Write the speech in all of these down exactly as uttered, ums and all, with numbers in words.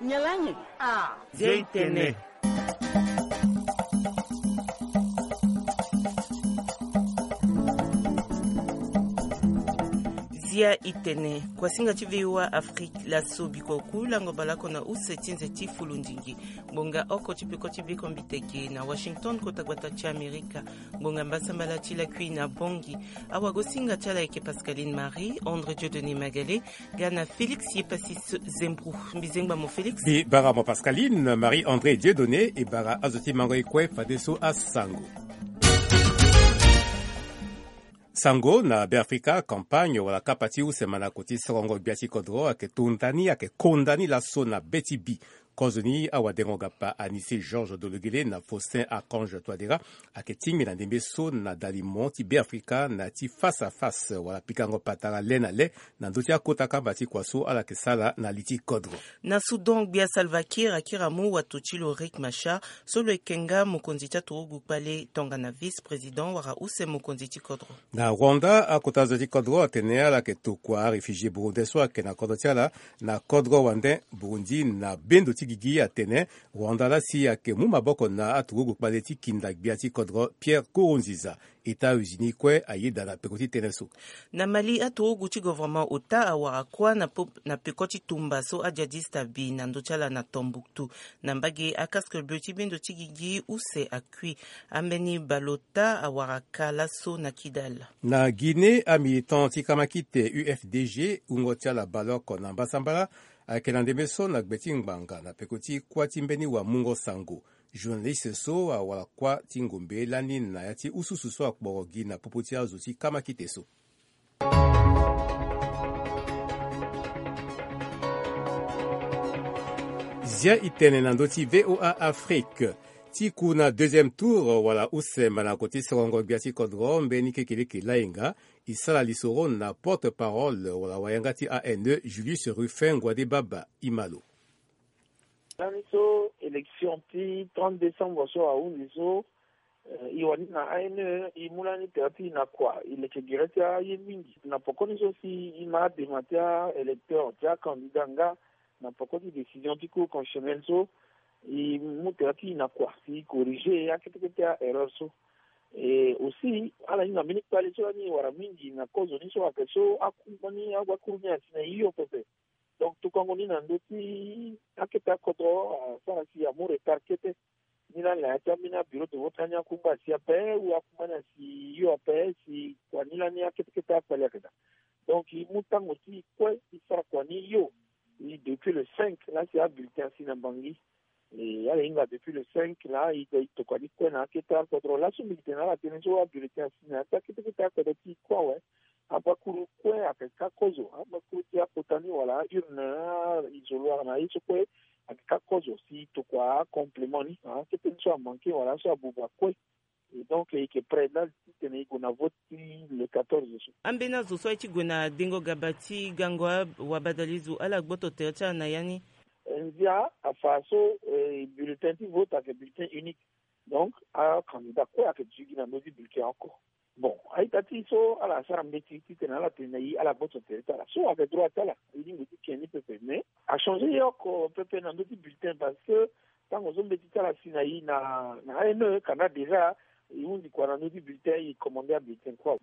Nyalangi. Ah. Zia itene. Zia itene. Kuasinga ti VOA Afrique, laso bikua oku lango baleoko na use ti nze ti fulundingi. Ngbonga oko ti peko ti bekombiteke na Washington, kota gbata ti Amerika. Ngbonga mbasambala ti lakui na Bangui. Awagosinga ti ala ayeke Pascaline Marie, André Dieudonné Magalé, ga na Félix Yepassis Zembro. Mbizengba mo Félix. Mbi bara mo Pascaline Marie André Dieudonné, e bara azo ti mango e kue fadeso asango. Sango na Beafrika, campagne wala kapa ti use mandako ti sorongo gbia ti kodro ayeke tonda ni, ayeke konda ni laso na be ti bi. Kozoni awadengo-gapa Anicet Georges Dologuélé na Faustin Archange Touadéra ayeke tingbi na ndembe so na dalimo ti Beafrika na ya ti face à face wala pikango patara le na le na ndö ti akota kamba ti kua so ala yeke sara na li ti kodro. Na Soudan, gbia Salva Kiir akiri amu wato ti lo Riek Machar so lo yeke nga mokonzi ti aturugu kpale tongana vice-président wala use mokonzi ti kodro. Na Rwanda, akota zo ti kodro atene ala yeke tokua aréfugié burundais so ayeke na kodro ti ala na kodro wande Burundi na bendo ti gigi. Atene Rwanda laa si ayeke mu maboko na aturugu kpale ti kinda gbia ti kodro Pierre Nkurunziza. États-Unis kue ayeda na peko ti tënë so. Na Mali, aturugu ti gouvernement ota awara kuâ na po-, na peko ti tumba so ajihadiste abi na ndö ti ala na Tombouctou. Na mbage, acasque bleu ti bendo ti gigi use akui. Ambeni baleota awara ka laso na Kidal. Na Guinée, amilitant ti kamakite U F D G, wungo ti ala baleoko na mbasambala, ayeke na ndembe so na gbe ti ngbanga na peko ti kuâ ti mbeni wamungo sango. Journaliste so awara kuâ ti ngombe lani na ya ti ususu so akporo gi na popo ti azo ti kamakite so. Zia itene na ndö ti VOA Afrique. Ti ku na deuxième tour wala use mandako ti sorongo gbia ti kodro mbeni kekeleke lainga, e sara lisoro na porte-parole wala wayanga ti A N E, Julius Rufin Ngouadé Baba. E ma lo. Lani so élection ti trente décembre so ahunzi so, eh, e wani na A N E, e mu lani tere ti e na kua, e leke gere ti aye mingi. Na poko ni so si e ma adema ti a-électeur, ti acandidat nga, na poko ti décision ti Cour constitutionnelle so, e mu tere ti e na kua si e corriger akete kete a-erreur so. Et aussi, ala hinga mbeni kpale so lani e wara mingi na kozoni so ayeke so akungba ni, agbakuru ni asi na e hio pepe. Donc, tokango ni na ndö ti akete akodro, ah, asara si amu retard kete. Ni lani na ya ti ambeni abureau de vote lani akungba asi ape, ou akungba ni asi hio ape, si kua ni lani akete kete akpale ayeke daa. Donc, e mu tango ti e kue, e sara kua ni hio. E depuis le cinq, laa si abulletin asi na Bangui. E, ala hinga depuis le cinq, laa e, e tokua ni kue na akete akodro. Laso mbi tene na ala tënë so abulletin asi na ya ti akete kete akodro ti e kue awe. Abakuru kue ayeke ka kozo, abakuru ti akota ni wala a-urne, a-isoloir na ye so kue ayeke ka kozo si e tokua acomplément ni, ah, akete ni so amanke wala so abuba kue. Et donc, e yeke prêt laa titene e gue na vote ti le quatorze so. Ambeni azo so aye ti gue na dengo gaba ti gango a-, wabadalizo, ala gboto tere ti ala na ya ni? Eh, ndia afa so, eh, bulletin ti vote ayeke bulletin unique. Donc, acandidat kue ayeke duti gi na ndö ti bulletin oko. Bon, a-ita ti e so ala sara mbeti titene ala tene na e ala gboto tere ti ala. So ayeke droit ti ala, e lingbi ti ke ni pepe. Mais achanger ye oko pepe na ndö ti bulletin parce que tango so mbeti ti ala si na e na, na A N E, kana déjà e hunzi kua na ndö ti bulletin, e commande abulletin kue.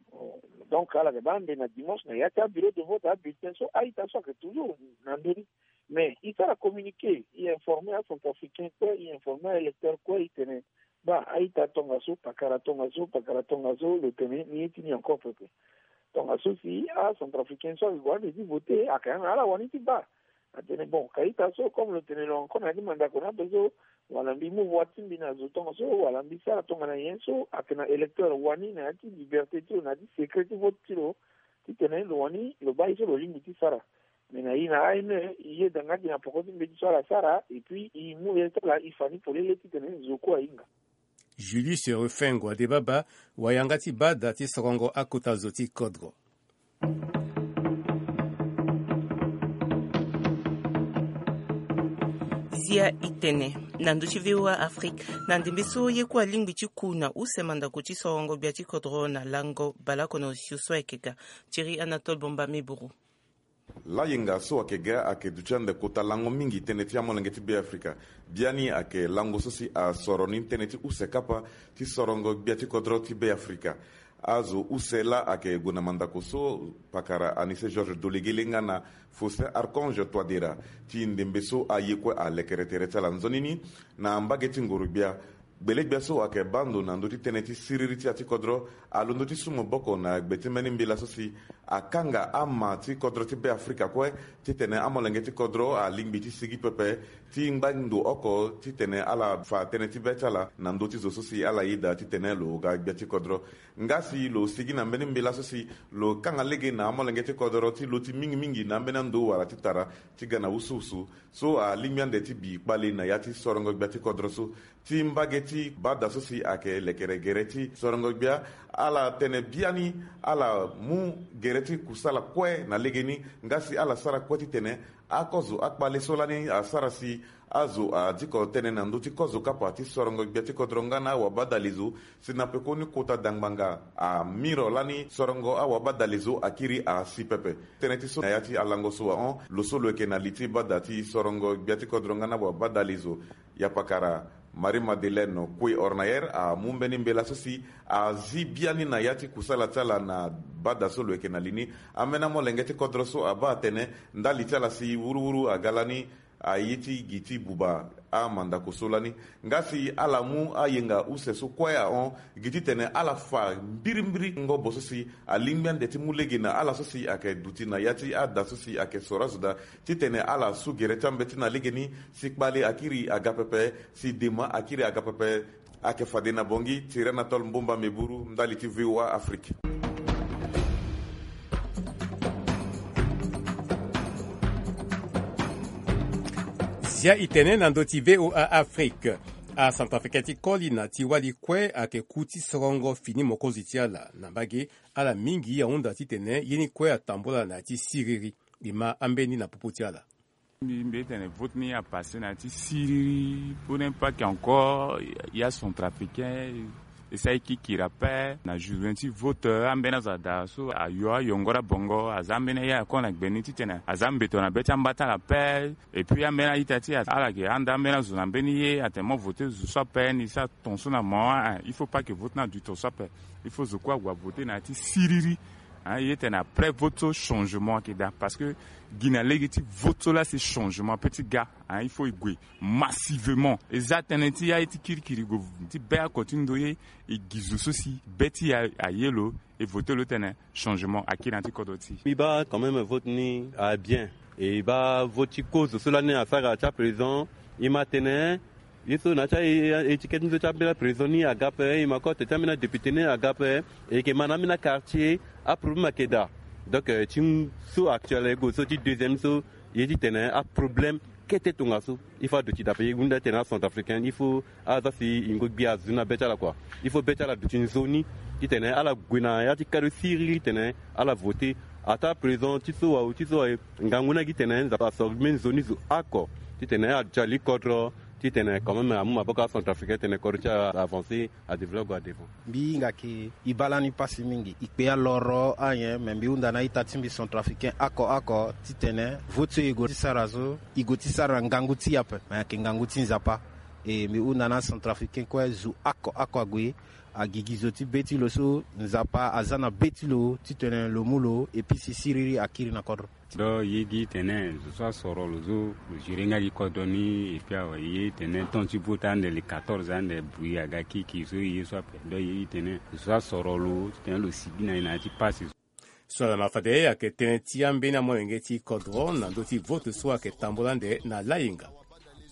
Donc ala yeke baa ande na dimanche na ya ti abureau de vote abulletin so a-ita so ayeke toujours na ndö ni. Mais e sara communiqué, e informer acentrafricain kue, e informer a-électeur kue, e tene, baa, a-ita tongaso, pakara tongaso, pakara tongaso, lo tene ni ye ti ni encore pepe. Tongaso si acentrafricain so ayeke gue ande ti voter, ayeke na ala wani ti baa. Atene, bon, ka ita so, comme lo tene lo encore na ya ti mandako ni ape so, wala mbi mu voix ti mbi na zo tongaso, wala mbi sara tongana nyen so, ayeke na électeur wani na ya ti liberté ti lo, na ya ti secret ti vote ti lo, titene lo wani lo baa ye so lo lingbi ti sara. Mais na e na A N E, e yeda nga gi na poko ti mbeti so ala sara, et puis e mu ye ti ala e fa ni polele titene zo kue ahinga. Julius Rufin Ngouadé Baba, wayanga ti bada ti sorongo akota zo ti kodro. Zia itene na ndö ti VOA Afrique. Na ndembe so ye kue alingbi ti ku na use mandako ti sorongo gbia ti kodro na lango baleoko na osio so ayeke ga. Thierry Anatole Bomba Meburu. Layenga so ayeke ga ayeke duti ande kota lango mingi tënë ti amolenge ti Beafrika. Biani ayeke lango so si asoro ni tënë ti use kapa ti sorongo gbia ti kodro ti Beafrika. Azo use laa ayeke gue na mandako so pakara Anissé Georges Dolegele nga na Faustin Archange Touadéra ti ndembe so aye kue alekere tere ti ala nzoni ni. Na mbage ti nguru-gbia, gbele-gbia so ayeke baa ndo na ndö ti tënë ti siriri ti ya ti kodro alondo ti su maboko na gbe ti mbeni mbela so si akanga ama ti kodro ti Beafrika kue titene amolenge ti kodro alingbi ti sigi pepe ti ngba ndo oko titene ala fa tënë ti be ti ala na ndö ti zo so si ala yeda titene lo ga gbia ti kodro. Nga si lo sigi na mbeni mbela so si lo kanga lege na amolenge ti kodro ti lo ti mingi mingi na ambeni ando wala ti tara ti ga na wusuwusu so alingbi ande ti bi kpale na ya ti sorongo gbia ti kodro so. Ti mbage ti bada so si ayeke lekere gere ti sorongo gbia, ala tene biani ala mu gere ti kusala kue na legeni. Nga si ala sara kue titene akozo akpale so lani asara si azo adiko tënë na ndö ti kozo kapa ti sorongo gbia ti kodro nga na awabadale zo. Si na pekoni kota dangbanga amiro lani sorongo awabadale zo akiri asi pepe. Tënë ti so na ya ti alango so ahon lo so lo yeke na li ti bada ti sorongo gbia ti kodro nga na awabadale zo, yapakara Marie Madeleine Koué Ornayer amu mbeni mbela so si azi biani na ya ti kusala ti ala na bada so lo yeke na li ni. Ambeni amolenge ti kodro so abaa atene ndali ti ala si wuruwuru aga lani aye ti gi ti buba amandako so lani. Nga si ala mu ayenga use so kue ahon gi titene ala fa mbirimbiri ngobo so si alingbi ande ti mu lege na ala so si ayeke duti na ya ti ada so si ayeke soro azo daa titene ala su gere ti ambeti na legeni si kpale akiri aga pepe, si dema akiri aga pepe. Ayeke fade na Bangui, Thierry Anatole Mbomba Meburu, ndali ti V O A Afrique. Zia e tene na ndö ti V O A Afrique. Acentrafricain ti koli na ti wali kue ayeke ku ti sorongo fini mokonzi ti ala na mbage. Ala mingi ahunda titene ye ni kue atambula na ya ti siriri. E ma ambeni na popo ti ala. Mbi mbi tene vote ni apasse na ya ti siriri pour ne pas que encore ya centrafricain e sara e kikiri ape na journée ti vote. Ambeni azo ada so ayo ayongoro abongo aza ambeni aye ako na gbe ni titene aza mbeto na be ti amba ti ala ape. Et puis ambeni a-ita ti ala ala yeke handa ambeni azo na mbeni ye atene mo vote zo so ape ni sara ton so na mo. Il faut pas que vote ni aduti ton so ape. Il faut zo kue ague avote na ya ti siriri. Hein, ye tene après vote so changement ayeke daa parce que gi na lege ti vote so laa si changement ape ti ga. Hein, il faut e gue massivement. E za tënë ti aye ti kirikiri gue ti be oko ti ndoye. E gi zo so si be ti e aye lo e vote lo tene changement akiri na ya ti kodro ti e. Mbi baa quand même vote ni abien. E baa vote ti kozo so lani asara ti aprésident. E ma tene ye so na ya ti étiquette ni so ti ambeni aprésident ni aga ape. E ma kue tene ti ambeni adéputé ni aga ape. E yeke ma na ambeni aquartier aproblème ayeke daa. Donc ti so actuel aye gue so ti deuxième so ye ti tene aproblème kete tongaso. Il faut aduti daa ape ye hunda tene acentrafricain il faut aza si yingo gbia azu na be ti ala kua. Il faut be ti ala aduti nzoni titene ala gue na ya ti kado siriri titene ala vote. Ataa président ti so wa o ti so wa e ngangu ni agi tene Nzapa asoro mbeni nzoni zo oko titene aduti ali kodro titene quand même amu maboko acentrafricain titene kodro ti ala avance. Adéveloppe gue adevant. Mbi hinga ke e baa lani pasi mingi e kpe aloro anyen me mbi hunda na a-ita ti mbi centrafricain oko oko titene vote so e gue ti sara so e gue ti sara na ngangu ti e ape me ayeke ngangu ti Nzapa. E mbi hunda na acentrafricain kue zo oko oko ague agigi zo ti be ti lo so Nzapa aza na be ti lo titene lo mu lo epui si siriri akiri na kodro. Donc ye gi tene zo so asoro lo so lo gérer nga gi kodro ni epui awe ye tene temps ti vote ande le quatorze ande bruit aga kiki so ye so ape. Donc ye gi tene zo so asoro lo titene lo sigi na ye na ya ti pasi. So ala ma fade ayeke tënë ti ambeni amolenge ti kodro na ndö ti vote so ayeke tambula ande na layenga.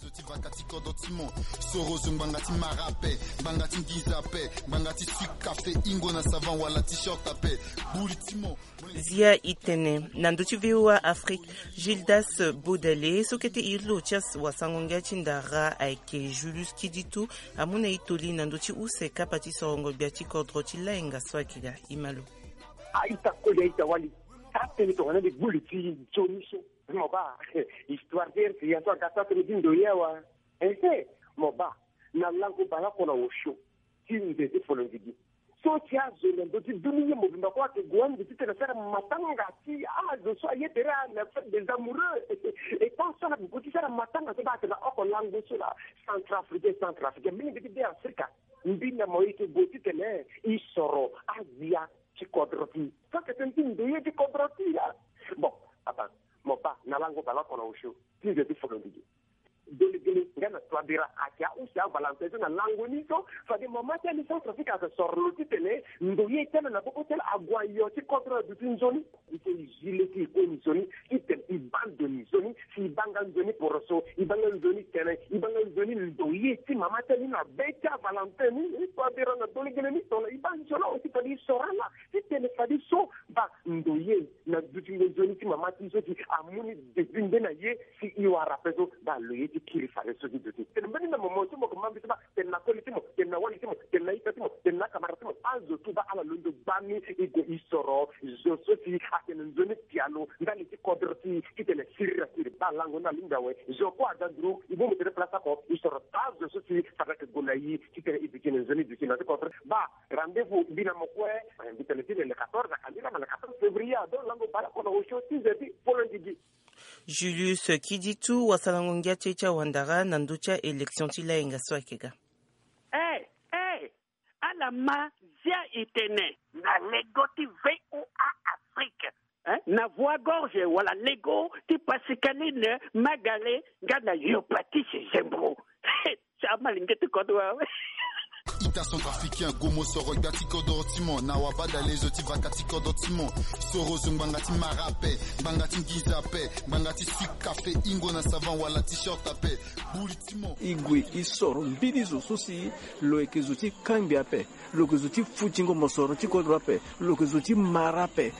Zo ti vaka ti kodro ti mo. Soro zo ngbanga ti mara ape, ngbanga ti nginza ape, ngbanga ti sucre café, ingo na savant wala ti short ape. Gbuli ti mo. Zia e tene na ndö ti V O A Afrique. Gildas Bodale so kete iri lo ti wasango-ngia ti ndara ayeke Julius Kiditu amu na e toli na ndö ti use kapa ti sorongo gbia ti kodro ti layenga so ayeke ga. E ma lo. A-ita koli a-ita wali. Taa tene tongana mbi gbuli ti nzoni so. Mo baa histoire ti R C A so aga taa tënë ti ndoye awa. Ehe, mo baa na lango bale oko na osio ti nze ti folondigi. so ti azo na ndö ti dunia mobimba kue ayeke gue ande titene asara matanga ti azo so aye tere na fête des amoureux. E tant so ala gue ti sara matanga so baa atene na oko lango so laa, centrafricain, centrafricain, mingi ti be afrika. Mbi na mo e yeke gue titene e soro azia ti kodro ti e. So ayeke tënë ti ndoye ti kodro ti e laa. Bon, papa, mo baa na lango baleoko na osio ti nze ti folo ndigi. Dolegele nga na Touadéra ayeke ahunzi avalantin so na lango ni so. Fade mama ti ali centrafrique ayeke soro lo titene ndoye ti ala na popo ti ala ague ayo ti kodro na duti nzoni. E so e zi le ti e kue nzoni titene e baa ndo ni nzoni. Si e baa nga nzoni poroso, e baa nga nzoni tene, e baa nga nzoni ndoye ti mama ti ali na be ti avalantin ni. E Touadéra na dolegele ni tongana e baa nzoni awe si fade e soro ala titene fade so baa ndoye na dutingo nzoni ti mama ti so si amu ni depuis nde na ye. Si e wara ape so baa lo ye ti kiri fade so ti duti. Tene mbeni na mo mo so mo yeke ma mbi so baa tene na koli ti mo, tene na wali ti mo, tene na ita ti mo, tene na akamara ti mo. Azo tout baa ala londo gbani e gue e soro zo so si atene nzoni pialo ndali ti kodro ti e titene siriri asiri. Baa lango ni alingbi awe. Zo kue aga nduru e bongbi tere place oko e soro taa zo so si fade ayeke gue na e titene e duti na nzoni duti na ti kodro. Baa rendez-vous mbi na mo kue. Mbi tene ti le quatorze, akandira ma le quatorze février ado lango baleoko na osio ti nze ti folo ndigi. Julius Kiditu, wasalango ngia ti e ti awandara na ndö ti a-élection ti layenga so ayeke ga. Eh, eh, ala ma zia e tene na lego ti V O A Afrique, eh, na Voix Gorge wala lego ti Pascaline Magale nga na yo Patrice Zembro. Ti amalenge ti kodro awe. Ita centrafricain, gomo soro gbia ti kodro ti mo, na wabada lezo ti vaka ti kodro ti mo. Soro zo ngbanga ti mara ape, ngbanga ti nginza ape, ngbanga ti sucre café, ingo na savant wala t-shirt ape. Buli ti mo. E gue e soro mbeni zo so si lo yeke zo ti kangbi ape, lo yeke zo ti futingo mosoro ti kodro ape, lo yeke zo ti mara ape.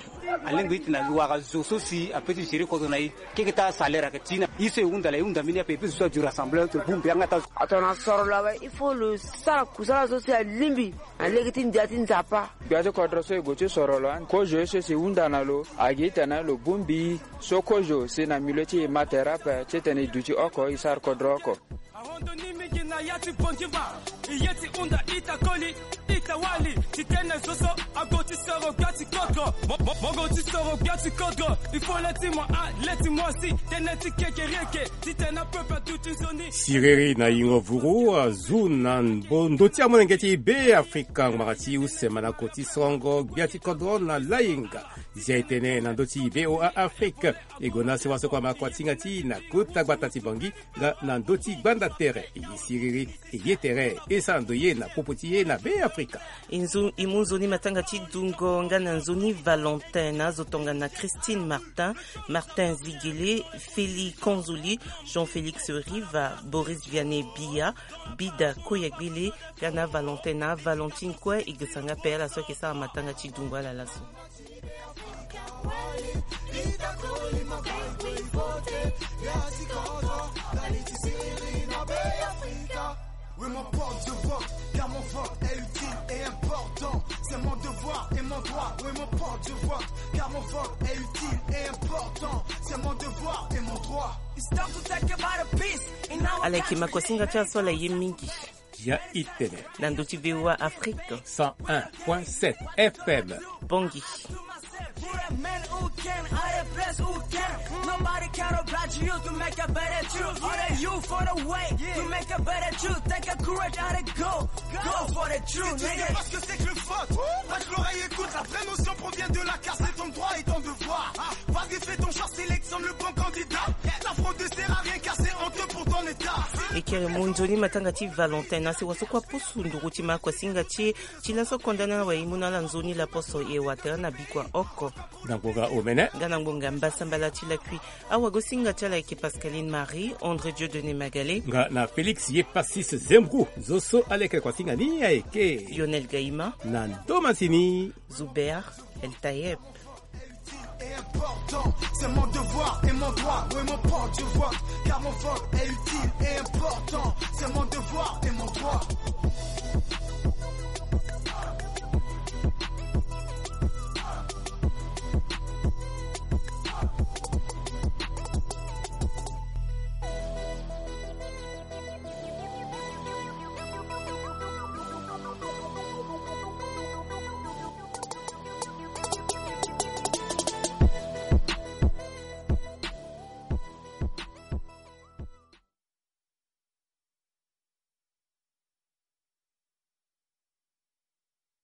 Alingbi ti tene e wara zo so si ape ti gérer kodro na e. Keke taa salaire ayeke ti na e so e hunda la, e hunda mbeni ape, e peut zo so adu rassemble entre bongbi yanga taa zo. Atona soro lo awe, il faut lo sara kusala so si alingbi na lege ti ndia ti Nzapa. Gbia ti kodro so e gue ti soro lo ande, kozo ye so si e hunda na lo, agi tene lo bongbi so kozo si na milieu ti e ma tere ape titene e duti oko e sara kodro oko. Arondo ni mingi na ya ti Bondiva, e ye ti hunda ita koli, ita wali, ti tene zo so ague ti soro gbia ti kodro. Mo, mo, mo gue ti soro gbia ti kodro. Il faut le ti mo a, le ti mo si, tene ti kekereke, ti tene peuple aduti nzoni. Siriri na yingo vuru azu na mbo ndö ti amolenge ti Be Afrika ngbanga ti use manako ti sorongo gbia ti kodro na layenga. Zia e tene na ndö ti V O A Afrique. E gue na sewa so kue ama kuasinga ti e na kota gbata ti Bangui nga na ndö ti gbanda tere. E ye siriri, e ye tere, e sara ndoye na popo ti e na Be Afrika. E nzo, e mu nzoni matanga ti dungo nga na nzoni Valentin na azo tongana Christine Martin, Martin Zigele, Félix Konzoli, Jean Félix Riva, Boris Vianney Biya, Bida Koyagbele, nga na Valentin na Valentine kue. E gesa nga ape ala so ayeke sara matanga ti dungo ala laso. Oui, mon porte de vote, car mon vote est utile et important. C'est mon devoir et mon droit. Oui, mon porte de vote, car mon vote est utile et important. C'est mon devoir et mon droit. It's time to take about a peace. Ala yeke ma kuasinga ti aso ala ye mingi. Ya itene. Na ndö ti V O A Afrique. Cent un point sept F M. Bongi. Nobody can oblige you to make a better truth. All the youth for the way to make a better truth. Take a courage and a go. Go for the truth, nigga. Parce que c'est que le faute. Pas que l'oreille écoute, la vraie notion provient de la case. C'est ton droit et ton devoir. Vas-y, fais ton choix, sélectionne le bon candidat. La fraude ne sert à rien car c'est honteux pour ton état. E kere mu nzoni matanga ti Valentin na sewa so kue apusu nduru ti ma kuasinga ti e. Ti laso konda na wayemu na ala nzoni laposo e watara na bikua oko. Na ngbonga omene. Nga na ngbonga mbasambala ti lakui. Awagosinga ti ala ayeke Pascaline Marie, André Dieudonné Magalé. Nga na Félix Yepasis Zembrou, zo so ala yeke kuasinga ni ayeke Lionel Gaïma. Na ndo masini Zuber El Tayeb. Important, c'est mon devoir et mon droit. Oui, mon porte du vote, car mon vote